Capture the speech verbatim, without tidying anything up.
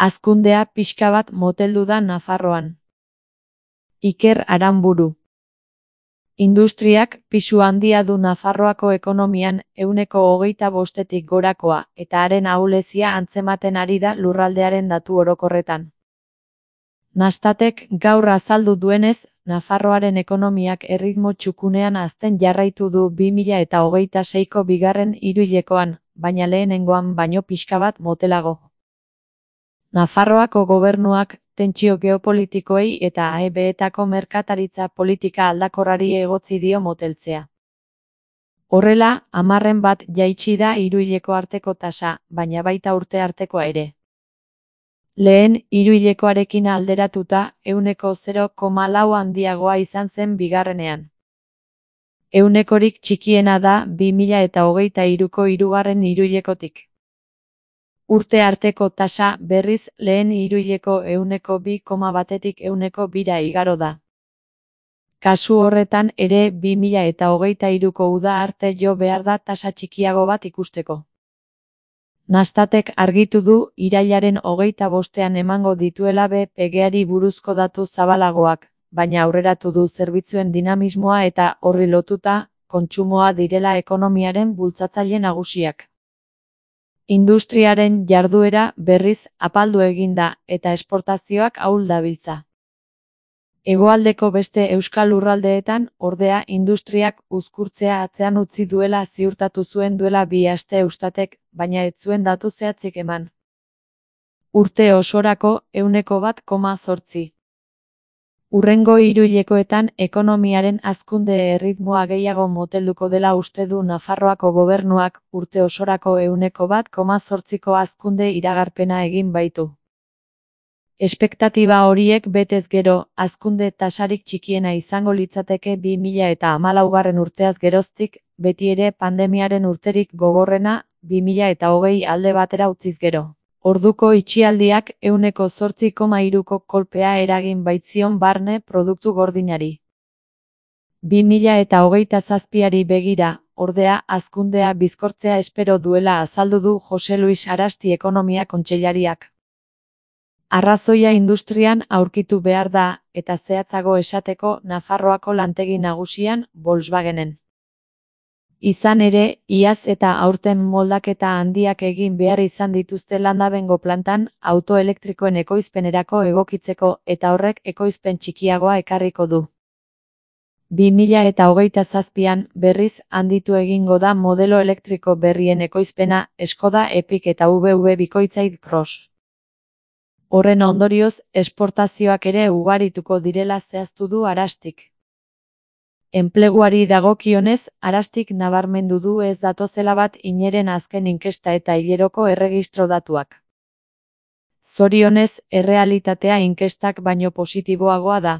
Hazkundea pixka bat moteldu da Nafarroan. Iker Aranburu. Industriak pisu handia du Nafarroako ekonomian ehuneko hogeita bostetik gorakoa eta haren ahulezia antzematen ari da lurraldearen datu orokorretan. Nastatek gaur azaldu duenez, Nafarroaren ekonomiak erritmo txukunean hazten jarraitu du bi mila eta hogeita seiko bigarren hiruhilekoan, baina lehenengoan baino pixka bat motelago. Nafarroako gobernuak tentsio geopolitikoei eta A E B-etako merkataritza politika aldakorrari egotzi dio moteltzea. Horrela, hamarren bat jaitsi da hiruhileko arteko tasa, baina baita urte artekoa ere. Lehen hiruhilekoarekin alderatuta, ehuneko zero koma lau handiagoa izan zen bigarrenean. Ehunekorik txikiena da bi mila eta hogeita hiruko hirugarren hiruhilekotik. Urte arteko tasa berriz lehen hiruhileko ehuneko bi koma batetik ehuneko bira igaro da. Kasu horretan ere bi mila eta hogeita hiruko uda arte jo behar da tasa txikiago bat ikusteko. Nastatek argitu du irailaren hogeita bostean emango dituela B P G-ari buruzko datu zabalagoak, baina aurreratu du zerbitzuen dinamismoa eta horri lotuta, kontsumoa direla ekonomiaren bultzatzaile nagusiak. Industriaren jarduera berriz apaldu egin da eta esportazioak ahul dabiltza. Hegoaldeko beste euskal lurraldeetan, ordea, industriak uzkurtzea atzean utzi duela ziurtatu zuen duela bi aste Eustatek, baina ez zuen datu zehatzik eman. Urte osorako ehuneko bat koma zortzi. Hurrengo hiruhilekoetan ekonomiaren hazkunde erritmoa gehiago motelduko dela uste du Nafarroako gobernuak, urte osorako ehuneko bat koma zortziko hazkunde iragarpena egin baitu. Espektatiba horiek betez gero, hazkunde tasarik txikiena izango litzateke bi mila eta hamalaugarren urteaz geroztik, beti ere pandemiaren urterik gogorrena, bi mila eta hogei alde batera utziz gero. Orduko itxialdiak ehuneko zortzi koma hiruko kolpea eragin baitzion barne produktu gordinari. bi mila eta hogeita zazpiari begira, ordea, hazkundea bizkortzea espero duela azaldu du Jose Luis Arasti ekonomia kontseilariak. Arrazoia industrian aurkitu behar da, eta zehatzago esateko Nafarroako lantegi nagusian, Volkswagenen. Izan ere, iaz eta aurten moldaketa handiak egin behar izan dituzte Landabengo plantan auto elektrikoen ekoizpenerako egokitzeko eta horrek ekoizpen txikiagoa ekarriko du. bi mila eta hogeita zazpian berriz handitu egingo da modelo elektriko berrien ekoizpena Skoda Epiq eta V W bikoitzaik Cross. Horren ondorioz, esportazioak ere ugarituko direla zehaztu du Arastik. Enpleguari dagokionez, Arastik nabarmendu du ez datozela bat ineren azken inkesta eta hileroko erregistro datuak. Zorionez, errealitatea inkestak baino positiboagoa da.